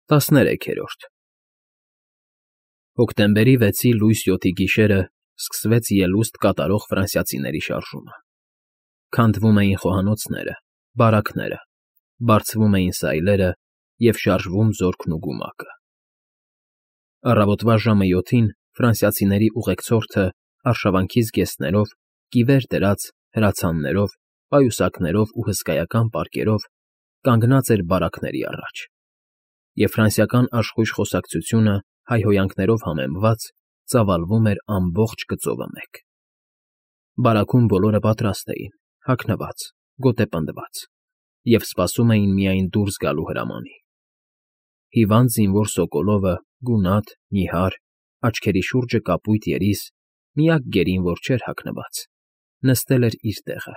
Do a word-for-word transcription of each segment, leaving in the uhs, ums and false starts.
տասներեքերորդ Հոկտեմբերի վեցի լույս յոթի գիշերը սկսվեց ելուստ կատարող ֆրանսիացիների շարժումը. քանդվում էին խոհանոցները, բարակները, բարձվում էին սայլերը և շարժվում զորքն ու գումակը։ Առավոտվա ժամը յոթին ֆրանսիացիների ուղեկցորդը արշավանքի զգեստներով, կիվեր դրած, հրացաններով, պայուսակներով ու հսկայական պարկերով կանգնած էր բարակների առաջ, և ֆրանսիական աշխույժ խոսակցությունը հայհոյանքներով համեմված ծավալվում էր ամբողջ գծովը մեկ։ Բարաքում բոլորը պատրաստ էին, հագնված, գոտեպնդված, և սպասում էին միայն դուրս գալու հրամանի։ Հիվանդ զինվոր սոկոլովը, գունատ, նիհար, աչքերի շուրջը կապույտ երիս, միակ գերին, որ չէր հագնված, նստել էր իր տեղը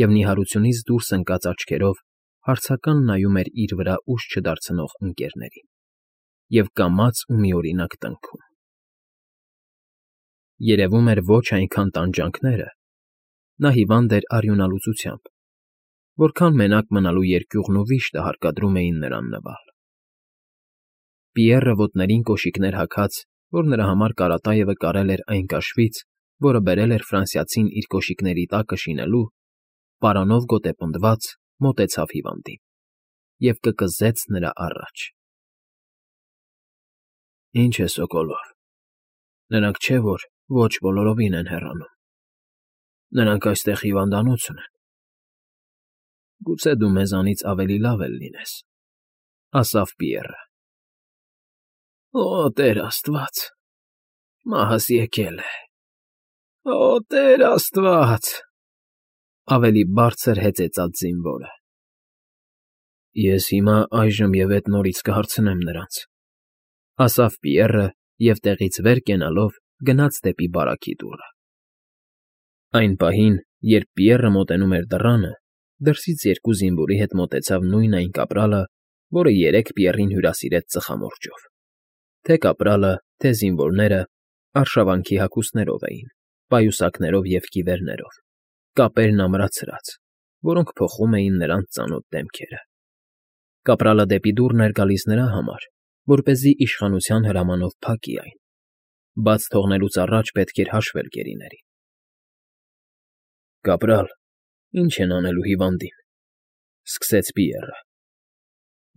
և նիհարությունից դուրս ընկած աչքերով հարցական նայում էր իր վրա ուժ չդարձնող ընկներներին և կամաց ու միօրինակ տնքում։ Երևում էր ոչ այնքան տանջանքները, նա հիվանդ էր արյունալուծությամբ, որքան մենակ մնալու երկյուղն ու վիշտը հարկադրում էին նրան նվալ։ Պիեռը ոտներին կոշիկներ հագած, որ նրա համար Կարատաևը կարել էր այն կաշվից, որը բերել էր ֆրանսիացին իր կոշիկների տակը շինելու, պարանով գոտեպնդված, մոտեցավ հիվանդին և կկզեց նրա առաջ։ ֊ Ի՞նչ է, Սոկոլով, նրանք չէ՞ որ ոչ բոլորովին են հեռանում, նրանք այստեղ հիվանդանոց ունեն։ Գուցե դու մեզանից ավելի լավ էլ լինես, ֊ ասավ Պիեռը։ ֊ Օ, Տեր աստված, մահս եկել է, օ, Տեր աստված,֊ ավելի բարձր հեծեծաց զինվորը։ ֊ Ես հիմա այժմ և էդ նորից կհարցնեմ նրանց, ֊ ասավ Պիեռը և տեղից վեր կենալով գնաց դեպի բարակի դուռը։ Այն պահին, երբ Պիեռը մոտենում էր դռանը, դրսից երկու զինվորի հետ մոտեցավ նույն այն կապրալը, որը երեկ Պիեռին հյուրասիրեց ծխամորճով, թե կապրալը, թե զինվորները արշավանքի հագուստներով էին, պայուսակներով և կիվերներով, կապերն ամրացրած, որոնք փոխում էին նրանց ծանոթ դեմքերը։ Կապրալը դեպի դուռն էր գալիս նրա համար, որպեսզի իշխանության հրամանով փակի այն, բաց թողնելուց առաջ պետք էր հաշվել գերիներին։ ֊ Կապրալ, ի՞նչ են անելու հիվանդին,֊ սկսեց Պիեռը։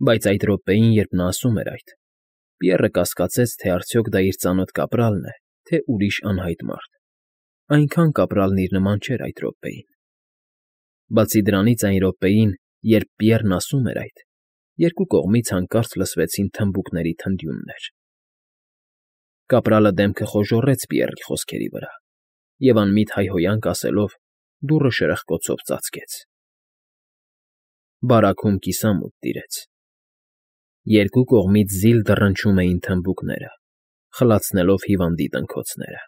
Բայց այդ րոպեին, երբ նա ասում էր այդ, Պիեռը կասկածեց, թե արդյոք դա իր ծանոթ կապրալն է, թե ուրիշ անհայտ մարդ, այնքան կապրալն իր նման չէր այդ րոպեին։ Բացի դրանից, այն րոպեին, երբ Պիեռն ասում էր այդ, երկու կողմից հանկարծ լսվեցին թմբուկների թնդյուններ։ Կապրալը դեմքը խոժոռեց Պիեռի խոսքերի վրա և անմիտ հայհոյանք ասելով դուռը շրխկոցով ծածկեց։ Բարաքում կիսամութ տիրեց։ Երկու կողմից զիլ դռնչում էին թմբուկները, խլացնելով հիվանդի տնքոցները։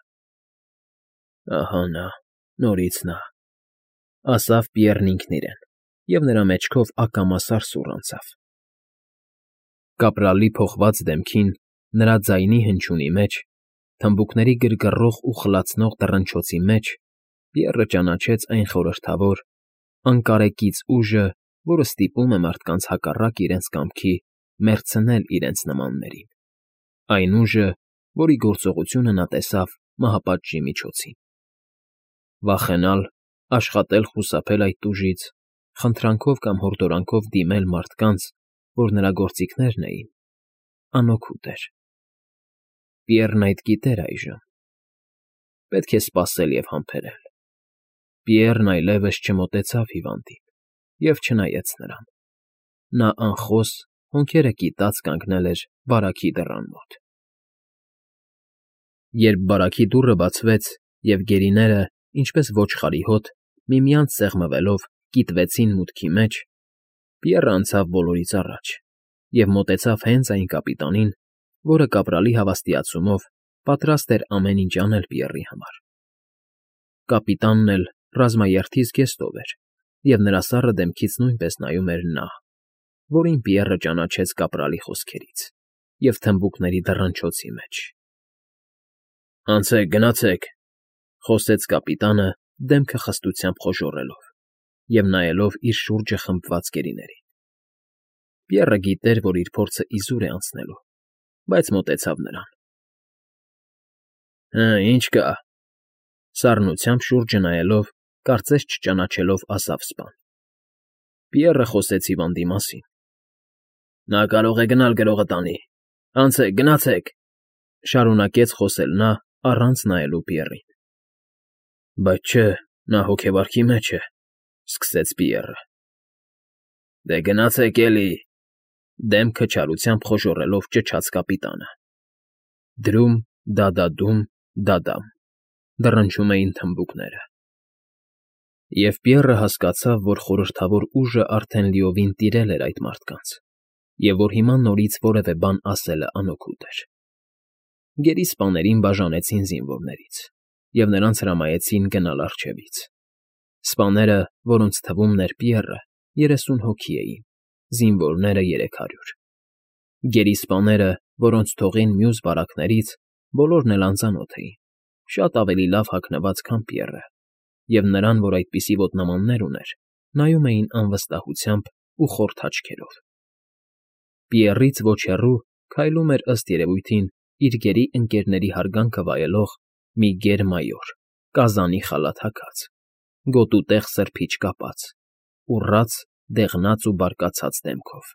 «Ահա նա, նորից նա,֊ ասավ Պիեռն ինքն իրեն, և նրա մեջքով ակամա սարսուռ անցավ։ Կապրալի փոխված դեմքին, նրա ձայնի հնչյունի մեջ, թմբուկների գրգռող ու խլացնող դռնչոցի մեջ Պիեռը ճանաչեց այն խորհրդավոր, անկարեկից ուժը, որը ստիպում է մարդկանց հակառակ իրենց կամքի մեռցնել իրենց նմաններին, այն ուժը, որի գործողությունը նա տեսավ մահապատժի միջոցին։ Վախենալ, աշխատել խուսափել այդ ուժից, խնդրանքով կամ հորդորանքով դիմել մարդկանց, որ նրա գործիքներն էին, անօգուտ էր։ Պիեռն այդ գիտեր այժմ։ Պետք է սպասել և համբերել։ Պիեռն այլևս չմոտեցավ հիվանդին և չնայեց նրան։ Նա անխոս, հոնքերը կիտած կանգնել էր բարակի դռան մոտ։ Երբ բարակի դուռը բացվեց, և գերիները, ինչպես ոչխարի հոտ, միմյանց սեղմվելով, կիտվեցին մուտքի մեջ, Պիեռը անցավ բոլորից առաջ և մոտեցավ հենց այն կապիտանին, որը կապրալի հավաստիացումով պատրաստ էր ամեն ինչ անել Պիեռի համար։ Կապիտանն էլ ռազմաերթի զգեստով էր, և նրա սառը դեմքից նույնպես նայում էր նա, որին Պիեռը ճանաչեց կապրալի խոսքերից և թմբուկների դռնչոցի մեջ։ ֊ Անցեք, գնացեք,֊ խոսեց կապիտանը, դեմքը խստությամբ խոժոռելով և նայելով իր շուրջը խմբված գերիներին։ Պիեռը գիտեր, որ իր փորձը իզուր է անցնելու, բայց մոտեցավ նրան։ ֊ Հը, ի՞նչ կա,֊ սառնությամբ շուրջը նայելով, կարծես չճանաչելով, ասավ սպան։ Պիեռը խոսեց հիվանդի մասին։ ֊ Նա կարող է գնալ գրողը տանի, անցեք, գնացեք,֊ շարունակեց խոսել նա, առանց նայելու Պիեռին։ ֊ Բայց չէ, նա հոգեվարքի մեջ է,֊ սկսեց Պիեռը։ ֊ Դե գնացեք էլի,֊ դեմքը չարությամբ խոժոռելով ճչաց կապիտանը։ Դրում, դադադում, դադամ, դռնչում էին թմբուկները։ Եվ Պիեռը հասկացավ, որ խորհրդավոր ուժը արդեն լիովին տիրել էր այդ մարդկանց, և որ հիմա նորից որևէ բան ասելը անօգուտ էր։ Գերի սպաներին բաժանեցին զինվորներից, և նրանց հրամայեցին գնալ առջևից։ Սպաները, որոնց թվում էր Պիեռը, երեսուն հոգի էին, զինվորները՝ երեք հարյուր։ Գերիսպաները, որոնց թողին մյուս բարակներից, բոլորն էլ անծանոթ էին, շատ ավելի լավ հագնված, քան Պիեռը, և նրան, որ այդպիսի ոտնամաններ ուներ, նայում էին անվստահությամբ ու խորթ աչքերով։ Պիեռից ոչ հեռու քայլում էր, ըստ երևույթին, իր գերի ընկերների հարգանքը վայելող մի գեր֊մայոր, կազանի խալաթ հագած, գոտուտեղ սրբիչ կապած, ուռած, դեղնած ու բարկացած դեմքով։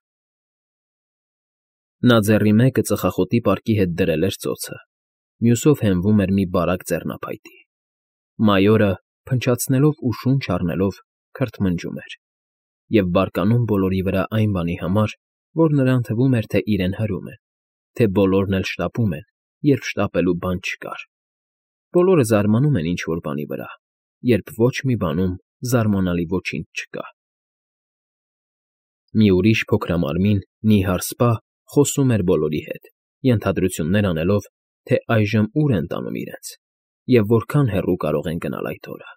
Նա ձեռի մեկը ծխախոտի պարկի հետ դրել էր ծոցը, մյուսով հենվում էր մի բարակ ձեռնափայտի։ Մայորը, փնչացնելով ու շունչ առնելով, քրթմնջում էր և բարկանում բոլորի վրա այն բանի համար, որ նրան թվում էր, թե իրեն հրում են, թե բոլորն էլ շտապում են, երբ շտապելու բան չկար։ Բոլորը զարմանում են ինչ֊որ բանի վրա, երբ ոչ մի բանում զարմանալի ոչինչ չկա։ Մի ուրիշ փոքրամարմին, նիհար սպա խոսում էր բոլորի հետ, ենթադրություններ անելով, թե այժմ ուր են տանում իրենց և որքան հեռու կարող են գնալ այդ օրը։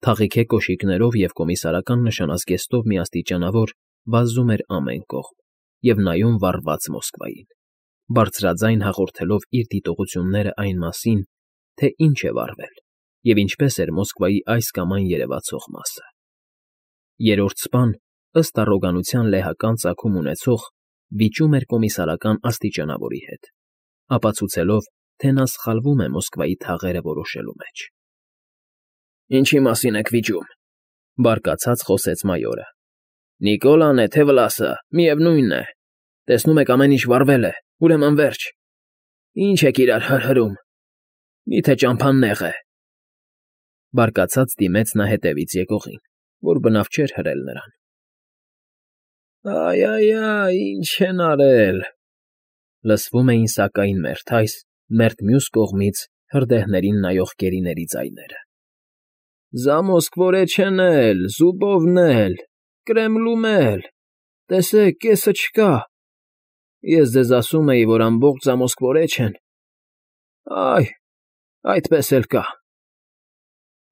Թաղիթե կոշիկներով և կոմիսարական նշանազգեստով մի աստիճանավոր վազում էր ամեն կողմ և նայում վառված Մոսկվային, բարձրաձայն հաղորդելով իր դիտողությունները այն մասին, թե ինչ է վառվել և ինչպես էր Մոսկվայի այս կամ այն երևացող մասը։ Երրորդ սպան, ըստ առոգանության լեհական ծագում ունեցող, վիճում էր կոմիսարական աստիճանավորի հետ, ապացուցելով, թե նա սխալվում է Մոսկվայի թաղերը որոշելու մեջ։ ֊ Ինչի մասին եք վիճում,֊ բարկացած խոսեց մայորը։ ֊ Նիկոլան է, թե Վլասը, միևնույն է։ Տեսնում եք, ամեն ինչ վառվել է, ուրեմն վերջ։ Ինչ եք իրար հրհրում, մի՞թե ճամփան նեղ է։ Բարկացած դիմեց նա հետևից եկողին, որ բնավ չէր հրել նրան։ «Այ֊այ֊այ, ինչ են արել,֊ լսվում էին սակայն մերթ այս, մերթ մյուս կողմից հրդեհներին նայող գերիների ձայները։ Զամոսկվորեչեն էլ, Զուբովն էլ, Կրեմլում էլ, տեսեք, կեսը չկա։ Ես ձեզ ասում էի, որ ամբողջ Զամոսկվորեչեն… Այ, այդպես էլ կա։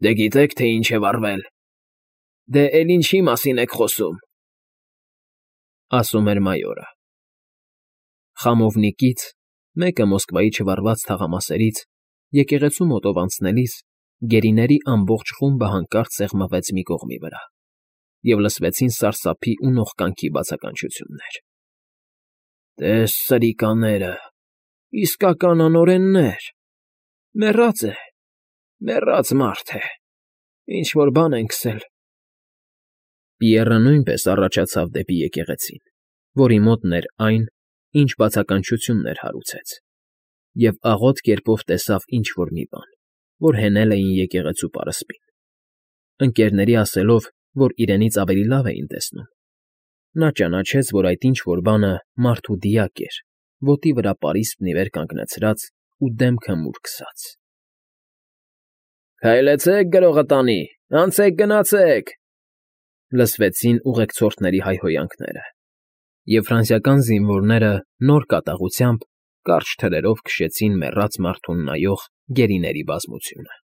Դե գիտեք, թե ինչ է վառվել։ Դե էլ ինչի մասին եք խոսում,֊ ասում էր մայորը։ Խամովնիկից, մեկը Մոսկվայի չվառված թաղամասերից, եկեղեցու մոտով անցնելիս, գերիների ամբողջ խումբը հանկարծ սեղմվեց մի կողմի վրա, և լսվեցին սարսափի ու նողկանքի բացականչություններ։ «Տես սրիկաները, իսկական անօրեններ… Մեռած է, մեռած մարդ է, ինչ֊որ բան են քսել»։ Պիեռը նույնպես առաջացավ դեպի եկեղեցին, որի մոտն էր այն, ինչ բացականչություններ հարուցեց, և աղոտ կերպով տեսավ ինչ֊որ մի բան, որ հենել էին եկեղեցու պարսպին։ Ընկերների ասելով, որ իրենից ավելի լավ էին տեսնում, նա ճանաչեց, որ այդ ինչ֊որ բանը մարդու դիակ էր, ոտի վրա պարիսպն ի վեր կանգնեցրած ու դեմքը մուր քսած։ ֊ Քայլեցեք, գրողը տանի, անցեք, գնացեք,֊ լսվեցին ուղեկցորդների հայհոյանքները, և ֆրանսիական զինվորները նոր կատաղությամբ կարճ թրերով քշեցին մեռած մարդուն նայող գերիների բազմությունը։